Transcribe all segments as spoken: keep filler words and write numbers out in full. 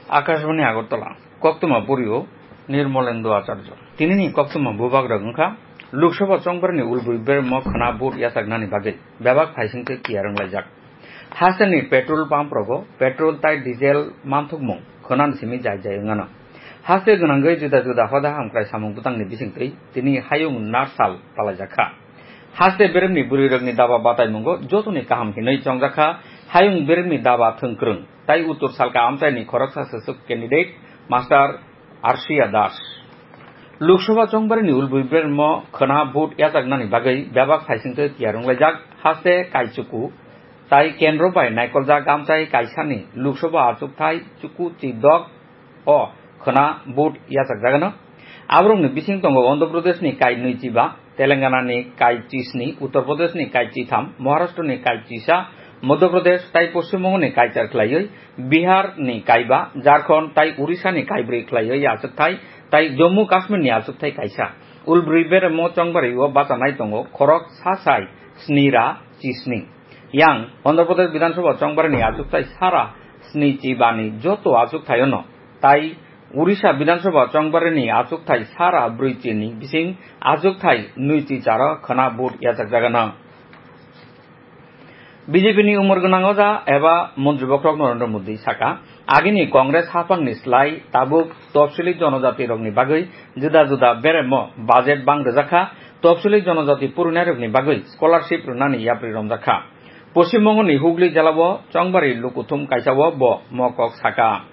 Akashbani Agartala, koktwma burio Nirmolendu Acharya. Tinini koktwma bubagrok wngkha, Lok Sabha chongbarni ulbwi bermo khwna vote yachaknani bagwi bebak phaisingtwi tiyar wnglaijak. Hasteni petrol pump rogo petrol tai diesel manthokmung khwnani simi jai jai wngano. Haste gwnangwi juda juda hoda hamkrai samung bwtangni bisingtwi tini hayung narsal palaijakha. Haste beremni bwrwirokni daba bataimungo jotoni kaham hinwi chongjakha hayung beremni daba thwngkwrwng tai uttor salka amchaini khoroksa swswk candidate Master Arshia Das. Lok Sabha chongbarini ulbwi bermo khwna vote yachaknani bagwi bebak phaisingtwi tiyar wnglaijak haste kaichuku tai kendro bai naikoljak amchai kaisani Lok Sabha achukthai chuku chidok o khwna vote yachakjagano. Aborokni bising tongo Andhra Pradeshni kai nwi chiba, Telangana ni kai chisni, Uttar Pradesh ni kai chitham, Maharashtra ni kai chisa, Madhya Pradesh tai Poschim Bongo ni kai char khlaiwi, Bihar ni kai ba, Jharkhand tai Orissa ni kai brwi khlaiwi achukthai, tai Jammu Kashmir ni achukthai kaisa. Ulbrwi beremo chongbario bachanai tongo khorok sa sai sni ra chisni. Yang Andhra Pradesh Bidhan Sabha chongbarani achukthai sara sni chibani joto achukthai ono tai Orissa Bidhan Sabha chongbarani achukthai sara brwi chini bising achukthai nwi chi charo khwna vote yachakjagano. B J P ni umor gwnang oja eba montri bokhorok Narendra Modi saka, agini Congress haphangni slai tabuk topsili jonojati rokni bagwi juda juda beremo budget bang rwjakha, topsili jonojati purinairokni bagwi scholarship rwnani yapri romjakha. Poschim Bongoni Hugli jelao chongbari lukuthum kaisao bo mokok saka.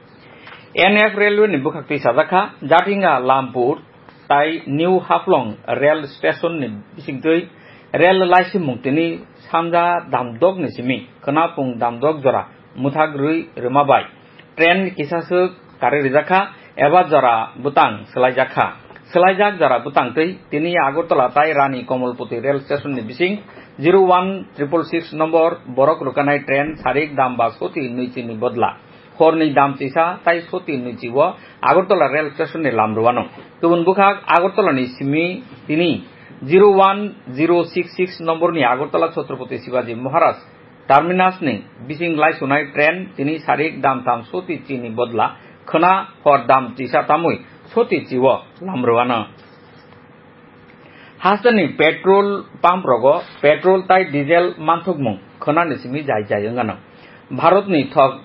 N F Railway ni bwkhaktwi sajakha, Jatinga Lampur tai New Haflong Rail Station ni bisingtwi rail laisimung tini sanja damdok ni simi khwnapung damdok jora mwthak rwi rwma bai train kisaswk kari rijakha eba jora bwtang swlaijakha. Swlaijak jora bwtang twi tini Agartala tai Rani Komolpoti Rail Station ni bising zero one triple six nombor borok rwkanai train sarik dam ba soti nwichi ni bodla horni dam chisa tai soti nwichi o Agartala Rail Station ni lam rwano. Kubun bwkhak Agartala ni simi tini zero one zero six six nombor ni Agartala Chhatrapati Shivaji Maharaj Terminus ni bising laisunai train tini sarik dam tam soti chini bodla khwna hor dam chisa tamwi soti chi o lam rwano. Hasteni petrol pump rogo petrol tai diesel manthokmung khwnani simi jai jai wngano. Bharatni thok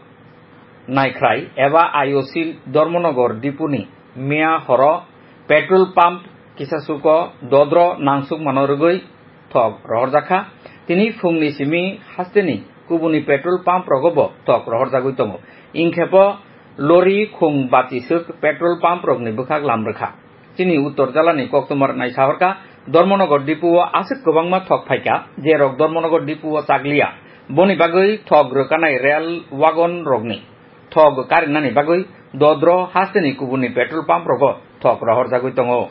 naikhrai eba I O C Dharmanagar dipuni miya horo petrol pump kisasuko dodro nangsukmano rwgwi thok rohorjakha. Tini phungni simi hasteni kubuni petrol pump rogobo thok rohorjagwi tongo. Ingkhepo lori khung bati swk petrol pump rokni bwkhak lam rwkha. Chini uttor jalani koktwma rwnai sahorkha, Dharmanagar dipu o aswk kwbangma thok phaikha, je rok Dharmanagar dipu o chakliya. Boni bagwi thok rwkanai rail wagon rokni thok karinani bagwi dodro hasteni kubuni petrol pump rogo thok rohorjagwi tongo.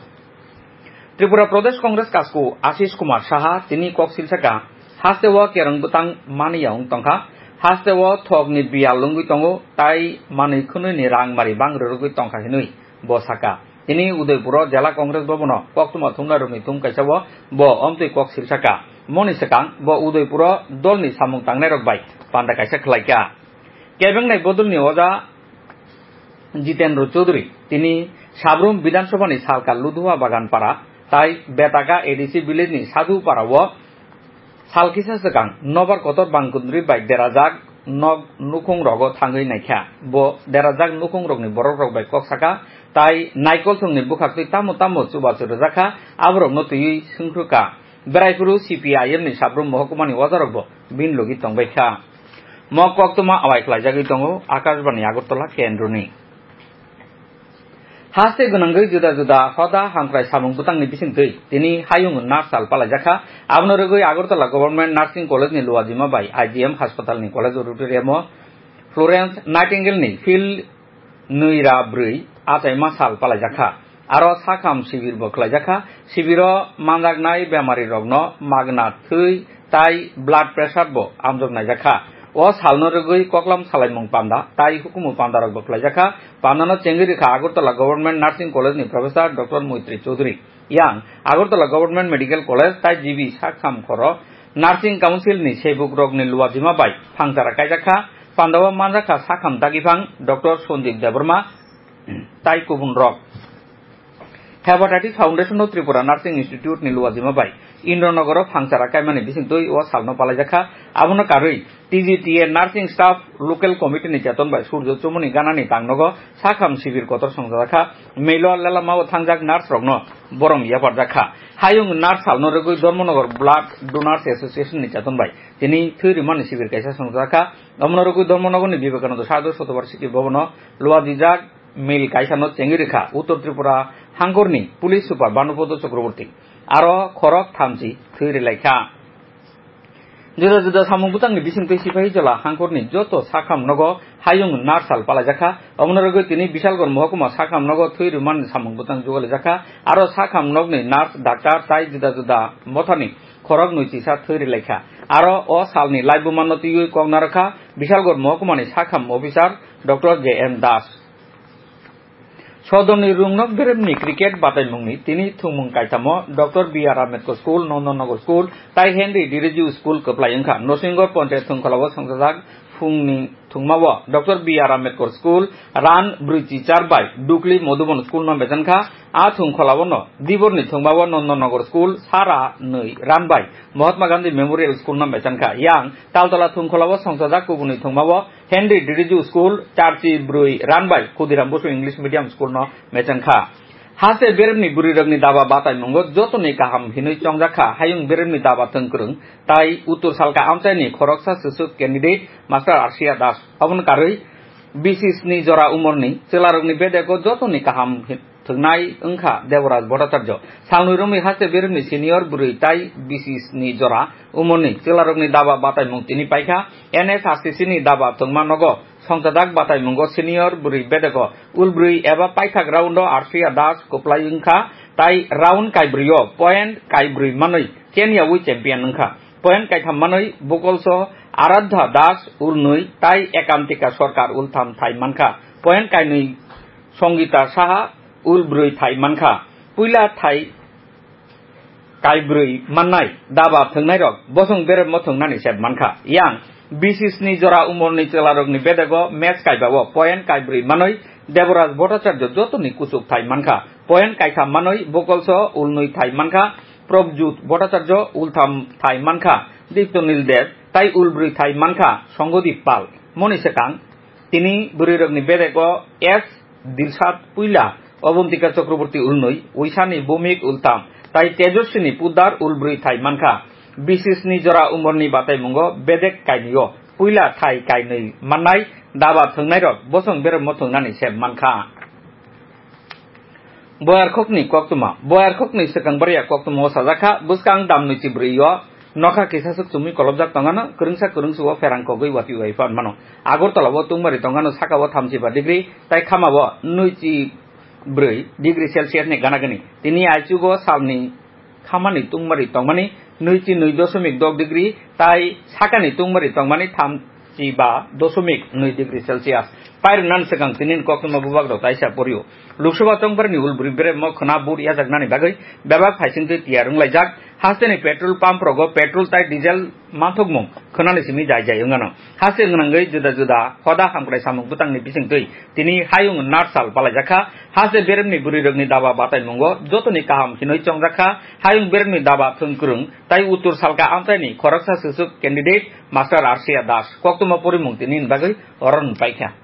Tripura Pradesh Congress kasku Ashish Kumar Saha tini kok silsaka, haste o kereng bwtang mani ya wng tongkha, haste o thokni biyal wngwi tongo, tai manwi khwnwi ni rang mari bang rwrwgwi tongkha hinwi bo saka. Tini Udaipuro Jela Congress Bhavan o koktwma thumnai rokni thum kaisa o bo omtwi kok silsaka. Moni swkang bo Udaipuro dolni samung tangnai rok bai panda kaisa khlaikha. Kebengnai bodolni oja Jitendra Chaudhary tini Sabrum Bidhan Sabha ni salka Ludhua Bagan Para tai Betaka A D C village ni Sadhu Para o sal kisa swkang nobar kotor bangkundri bai derajak nok nukhung rogo thangwi naikha. Bo derajak nukhung rokni borok rok bai kok saka tai naikol thwngni bwkhaktwi tamo tamo chubachu rwjakha, aborokno twiwi swngkhrwkha. Beraipuru C P I M ni Sabrum Mohokuma ni ojarokbo bini logi tongbaikha. Mo koktwma awai khlaijagwi tongo Akashbani Agartala kendroni. Haste gwnangwi juda juda hoda hamkrai samung bwtangni bisingtwi tini hayung narsal palaijakha. Abono rwgwi Agartala Government Nursing College ni luajima bai I G M Hospital ni college auditorium o Florence Nightingale ni field nwi ra brwi achaima sal palaijakha. Aro sakham sibir bo khlaijakha. Sibiro manjaknai bemari rokno magna thwi tai blood pressure bo amjok naijakha. O salno rwgwi koklam salaimung panda tai hukumu panda rok bo khlaijakha. Pandano chengwi rwkha Agartala Government Nursing College ni Professor Doctor Moitri Chaudhary. Yang Agartala Government Medical College tai G B sakham khoro Nursing Council ni sebukrokni luajima bai phangchara kaijakha, pandao manjakha sakham dagiphang Doctor Sandeep Debbarma tai kubunrok. Hepatitis Foundation of Tripura Nursing Institute ni luajima bai Indranogoro phangchara kaimani bisingtwi o salno palaijakha. Abono karwi T G T A Nursing Staff Local Committee ni cheton bai Surjo Chumuni ganani tangnogo sakham sibir kotor songjakha. Melo lelamao thangjak nurse rokno borom yaparjakha. Hayung nurse salno rwgwi Dharmanagar Blood Donors Association ni cheton bai tini thwi rwmani sibir kaisa songjakha. Omono rwgwi Dharmanagar ni Vivekananda Sadhu Shatovarshiki Bhavano luajijak mil kaisano chengwi rwkha Uttor Tripura hangkorni Police Super Bhanupada Chakraborty. Aro khorok thamchi thwi rwlaikha. Juda juda samung bwtangni bisingtwi sipahi jola hangkorni joto sakham nogo hayung nurse sal palaijakha. Omono rwgwi tini Bishalgarh mohokuma sakham nogo thwi rwmani samung bwtang jugalijakha. Aro sakham nokni nurse, doctor tai juda juda mothani khorok nwi chisa thwi rwlaikha. Aro o salni laibumano twiwi kok narwkha Bishalgarh mohokuma ni sakham officer Doctor J M Das. Sodorni Rungnok Beremni cricket bataimungni tini thwngmung kaithamo Doctor B R Ambedkar School, Nondan Nagar School tai Henry Diriju School kwplai wngkha. Nosingor Ponchayat Thwngkholao songchajak phungni thwngmao Doctor B R Ambedkar School run brwi chi char bai Dukli Madhuban School no mechankha. A thwngkholao no Diborni thwngmao Nondan Nagar School sara nwi run bai Mahatma Gandhi Memorial School no mechankha. Yang Taltola thwngkholao songchajak kubuni thwngmao Henry Diriju School, charchi brwi run bai Khudiram Bosu English Medium School no mechankha. Haste beremni bwrwirokni daba bataimungo jotoni kaham hinwi chongjakha hayung beremni daba thwngkwrwng tai Uttor Salka amchaini khoroksa swswk candidate Master Arsia Das. Obono karwi B C S ni jora umorni chwlarokni bedego jotoni kaham hi-, thwngnai wngkha Deboraj Bhattacharya. Salnwi romwi haste beremni senior bwrwi tai B C S ni jora umorni chwlarokni daba bataimung tini paikha. N S R C C ni daba thwngma nogo songchajak bataimungo senior bwrwi bedego ulbrwi eba paithak round o Arsia Das kwplai wngkha tai round kaibrwi o point kaibrwi manwi Kenya wi champion wngkha. Point kaitham manwi Bokolso Aradha Das ulnwi tai Ekantika Sorkar ultham thai mankha. Point kainwi Songita Saha ulbrwi thai mankha. Puila thai kaibrwi mannai daba thwngnairok bosong beremmo thwngnani sep mankha. Yang B C S ni jora umorni chwlarokni bedego match kaibao point kaibrwi manwi Deboraj Bhattacharya jotoni kuchuk thai mankha. Point kaitham manwi Bokolso ulnwi thai mankha. Probjut Bhattacharya ultham thai mankha. Diptonil Deb tai ulbrwi thai mankha Songhodip Pal. Moni swkang tini bwrwirokni bedego S Dilsad puila, Abantika Chakraborty ulnwi, Uisani Bhumik ultham tai Tejoswini Poddar ulbrwi thai mankha. B C S ni jora umorni bataimungo bedek kainwio puila thai kainwi mannai daba thwngnairok bosong beremmo thwngnani sep mankha. Boyarkhokni koktwma. Boyarkhokni swkang bwrwiya koktwma o sajak kha, bwskang dam nwi chi brwi o nokha kisa swk chumui kolobjak tongano, kwrwngsa kwrwngsu o pherang kogwi watwi bai phan mano. Agartala o tungmari tongano saka o thamchi ba degree, tai khama o nwi chi brwi degree Celsius ni gana gani. Tini aichugo salni khamani tungmari tongmani nwi chi nwi dosomik dok degree, tai sakani tungmari tongmani tham chi ba dosomik nwi degree Celsius. Pairwknani swkang tini koktwma bubak rok taisa porio. Lok Sabha chongbarni ulbri beremo khwna bur yajaknani bagwi bebak phaisingtwi tiyar wnglaijak. Hasteni petrol pump rogo petrol tai diesel manthokmung khwnani simi jai jai wngano. Haste gwnangwi juda juda hoda hamkrai samung bwtangni bisingtwi tini hayung narsal palaijakha. Haste beremni bwrwirokni daba bataimungo jotoni kaham hinwi chongjakha. Hayung beremni daba thwngkwrwng tai uttor salka amchaini khoroksa swswk candidate Master Arsia Das. Koktwma porimung tini bagwi oro nung paikha.